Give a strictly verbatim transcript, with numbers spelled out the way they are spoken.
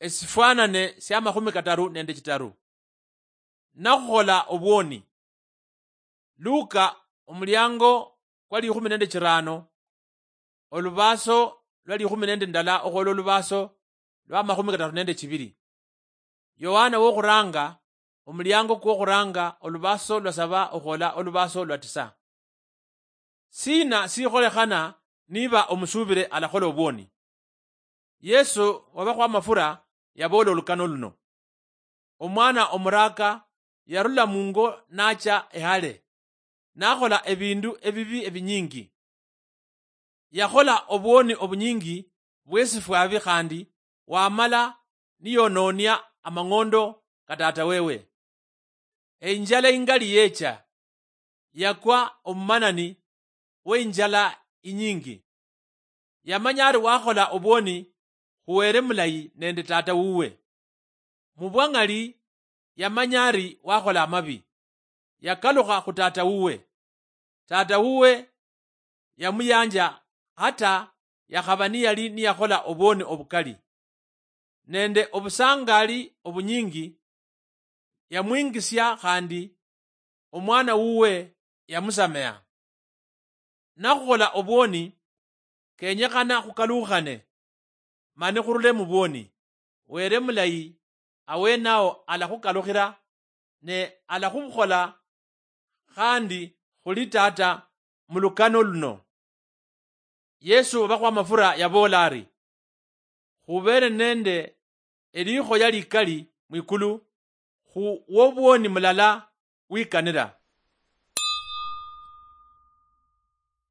esifwanane sia makhumi kataru nende chitaru. Nakhukhola obwoni. Luka, omuliango kwa likhumi nende chirano, olubaso lwa likhumi nende ndala okhuola olubaso lwa makhumi kataru nende chibiri. Yohana wokhuranga, omuliango kwokhuranga, olubaso lwa saba okhuola olubaso lwa tisa. Sina sikholekhana niba omusubire alakhola obwoni? Yesu wabakhwa amafura yaboola olukano luno. Omwana omuraka yarula mungo nacha ehale, nakhola ebindu ebibi ebinyingi. Yakhola obwoni obunyingi bwesifwabi khandi wamala niyononia amang'ondo ka tata wewe. Einjala ingali yecha, yakwa omumanani weinjala inyingi. Yamanya ari wakhola obwoni khuwere mulayi nende tata wuwe. Mubwang'ali yamanya ari wakhola amabi, yakalukha khu tata wuwe. Tata wuwe yamuyanja hata yakhaba niyali niyakhola obwoni obukali. Nende obusangali obunyingi yamwingisia khandi omwana wuwe yamusameha. Nakhukhola obwoni, kenyekhana khukalukhane mani khurule mubwoni. Were mulayi awenao alakhukalukhira ne alakhubukhola khandi khuli tata mulukano luno. Yesu obakhwa amafura yaboola ari, khubere nende elikhoya likali mwikulu khu wobwoni mulala wikanira.